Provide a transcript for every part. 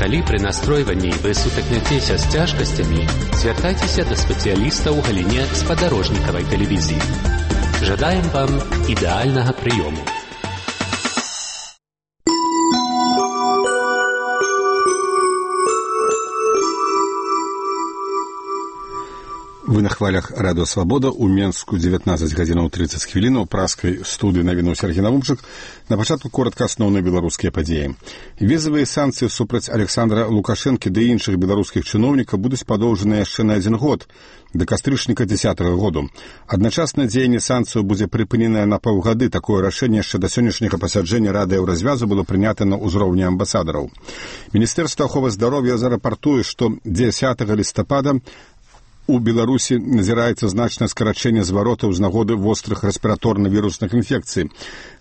Калі пры настройванні вы сутыкняцеся з цяжкасцямі, звяртайцеся да спецыяліста ў галіне спадарожнікавай тэлевізіі. Жадаем вам ідэальнага прыёму. Вы на хвалях Радыё Свабода. У Менску 19 гадзінаў 30 хвілінаў. У праскай студыі навінуў Сергей Навумчык. На пачатку коротка асноўныя беларускія падзеі. Візавыя санкцыі супраць Александра Лукашэнкі ды іншых беларускіх чыноўнікаў будуць падоўжаныя яшчэ на 1 год, да кастрычніка 10-го году. Адначасна дзеянне санкцыяў будзе прыпыненае на паўгады. Такое рашэнне яшчэ да сённяшняга пасяджэння Рады Еўразвязу было прынята на ўзроўні амбасадараў. Міністэрства аховы здароўя зарапартуе, што 10 лістапада у Беларусі назіраецца значнае скарачэнне зваротаў з нагоды вострых рэспіраторна-вірусных інфекцый.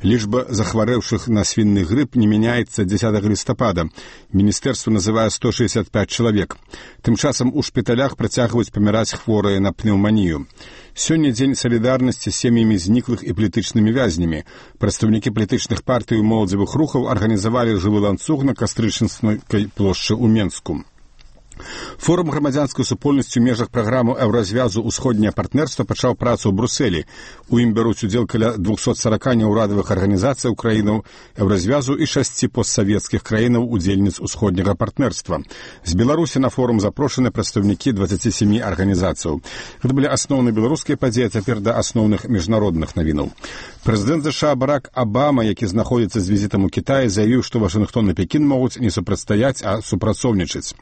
Лічба захварэўшых на свінны грып не мяняецца 10 лістапада. Міністэрства называе 165 чалавек. Тым часам у шпіталях працягваюць паміраць хворыя на пнеўманію. Сёння дзень салідарнасці з сем'ямі зніклых і палітычнымі вязнямі. Прадстаўнікі палітычных партый і моладзевых рухаў арганізавалі жывы ланцуг на Кастрычніцкай плошчы ў Менску. Форум грамадзянскай супольнасці ў межах праграмы Еўразвязу «Усходняе партнерства» пачаў працу ў Брусэлі. У ім бяруць удзел каля 240 неўрадавых арганізацый краінаў Еўразвязу і 6 постсавецкіх краінаў удзельніц усходняга партнерства. З Беларусі на форум запрошаны прадстаўнікі 27 арганізацыяў. Гэта былі асноўныя беларускія падзеі, а цяпер да асноўных міжнародных навінаў. Прэзідэнт США Барак Абама, які знаходзіцца з візітам у Кітаі, заявіў, што Вашынгтон і Пекін могуць не супрацьстаяць, а супрацоўнічаць.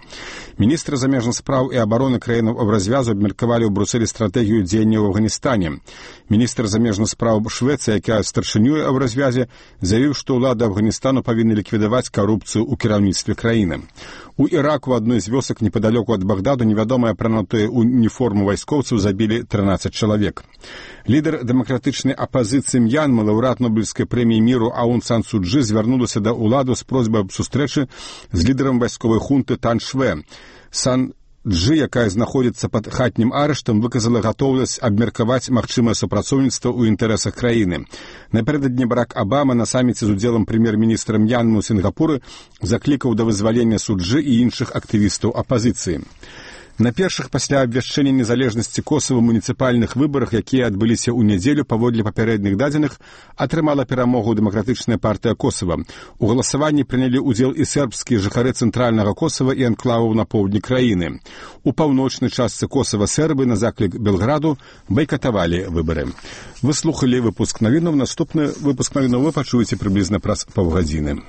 Міністры замежных спраў і абароны краінаў Еўразвязу абмеркавалі ў Брусэлі стратэгію дзеяння ў Афганістане. Міністр замежных спраў Швецыі, якая старшынюе Еўразвязе, заявіў, што ўлады Афганістану павінны ліквідаваць карупцыю ў кіраўніцтве краіны. У Іраку адной з вёсак непадалёку ад Багдаду невядомыя апранутыя уніформу вайскоўцаў забілі 13 чалавек. Лідар дэмакратычнай апазіцыі М'янмы, лаўрэат Нобелевскай прэміі міру Аун Сан Су Чжы звярнулася да ўладу з просьбай аб сустрэчы з лідарам вайсковай хунты Тан Швэ. Сан Чжы, якая знаходзіцца пад хатнім арыштам, выказала гатоўнасць абмеркаваць магчымае супрацоўніцтва ў інтарэсах краіны. Напярэдадні Барак Абама на саміце з удзелам прэм'ер-міністра М'янмы ў Сінгапуры заклікаў да вызвалення Су Чжы і іншых актывістаў апазіцыі. На першых пасля абвяшчэння незалежнасці Косава муніцыпальных выбарах, якія адбыліся ў нядзелю паводле папярэдніх дадзеных, атрымала перамогу дэмакратычная партыя Косава. У галасаванні прынялі ўдзел і сербскія жыхары цэнтральнага Косава і анклаваў на поўдні краіны. У паўночнай частцы Косава сербы на заклік Белграду байкатавалі выбары. Вы слухалі выпуск навінаў. Наступны выпуск навінаў вы пачуеце прыблізна праз паўгадзіны.